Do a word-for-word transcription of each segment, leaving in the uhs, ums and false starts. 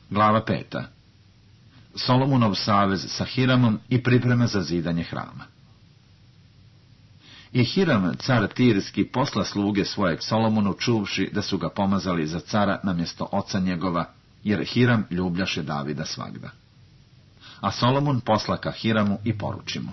Glava peta. Solomonov savez sa Hiramom i priprema za zidanje hrama. I Hiram, car Tirski, posla sluge svojeg Solomonu, čuvši da su ga pomazali za cara namjesto oca njegova, jer Hiram ljubljaše Davida svagda. A Solomon posla ka Hiramu i poruči mu: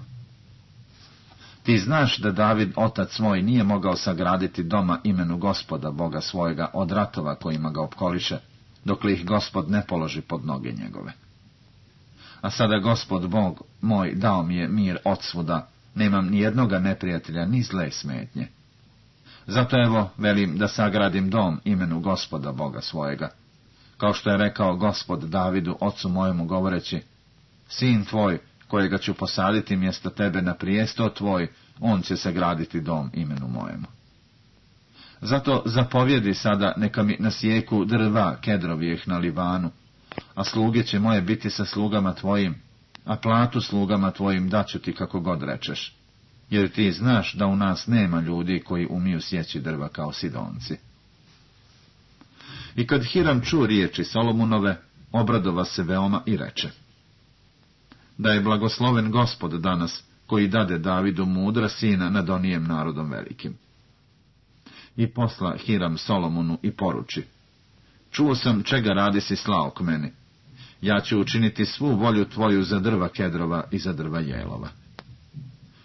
Ti znaš da David, otac moj, nije mogao sagraditi doma imenu Gospoda, Boga svojega, od ratova kojima ga opkoliše, dokle ih Gospod ne položi pod noge njegove. A sada Gospod Bog moj dao mi je mir odsvuda, nemam ni jednoga neprijatelja, ni zle smetnje. Zato evo velim da sagradim dom imenu Gospoda Boga svojega, kao što je rekao Gospod Davidu, ocu mojemu, govoreći: Sin tvoj, kojega ću posaditi mjesto tebe na prijesto tvoj, on će sagraditi dom imenu mojemu. Zato zapovjedi sada, neka mi nasijeku drva kedrovijeh na Livanu, a sluge će moje biti sa slugama tvojim, a platu slugama tvojim daću ti kako god rečeš, jer ti znaš da u nas nema ljudi koji umiju sjeći drva kao Sidonci. I kad Hiram čuo riječi Solomonove, obradova se veoma i reče: Da je blagosloven Gospod danas, koji dade Davidu mudra sina nad onijem narodom velikim. I posla Hiram Solomonu i poruči: Čuo sam čega radi si slao k meni. Ja ću učiniti svu volju tvoju za drva kedrova i za drva jelova.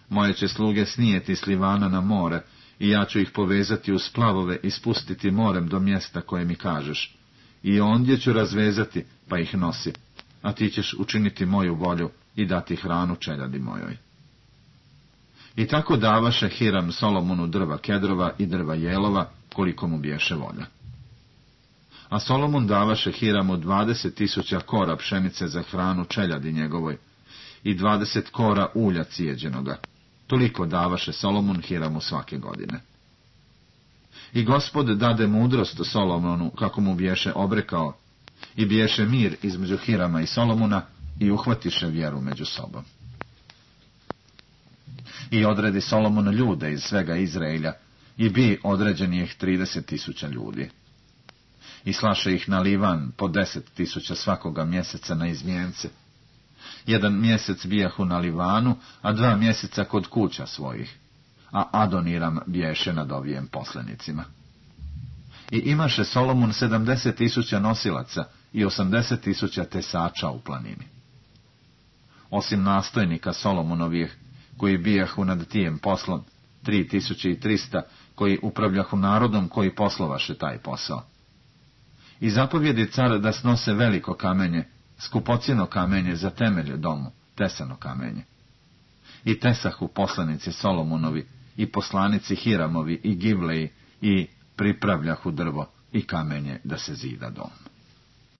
Moje će sluge snijeti s Livana na more, i ja ću ih povezati u splavove i spustiti morem do mjesta koje mi kažeš. I ondje ću razvezati, pa ih nosi, a ti ćeš učiniti moju volju i dati hranu čeljadi mojoj. I tako davaše Hiram Solomonu drva kedrova i drva jelova, koliko mu biješe volja. A Solomon davaše Hiramu dvadeset tisuća kora pšenice za hranu čeljadi njegovoj i dvadeset kora ulja cijeđenoga. Toliko davaše Solomon Hiramu svake godine. I Gospod dade mudrost Solomonu, kako mu biješe obrekao, i biješe mir između Hirama i Solomona, i uhvatiše vjeru među sobom. I odredi Solomon ljude iz svega Izraelja, i bi određeni ih trideset tisuća ljudi. I slaše ih na Livan po deset tisuća svakoga mjeseca na izmjence. Jedan mjesec bijahu na Livanu, a dva mjeseca kod kuća svojih, a Adoniram biješe nad ovijem poslenicima. I imaše Solomon sedamdeset tisuća nosilaca i osamdeset tisuća tesača u planini. Osim nastojnika Solomonovih, koji bijahu nad tijem poslom, tri tisuće i trista, koji upravljahu narodom koji poslovaše taj posao. I zapovjedi car da snose veliko kamenje, skupocjeno kamenje za temelje domu, tesano kamenje. I tesahu poslanici Solomonovi, i poslanici Hiramovi, i Givleji, i pripravljahu drvo i kamenje da se zida dom.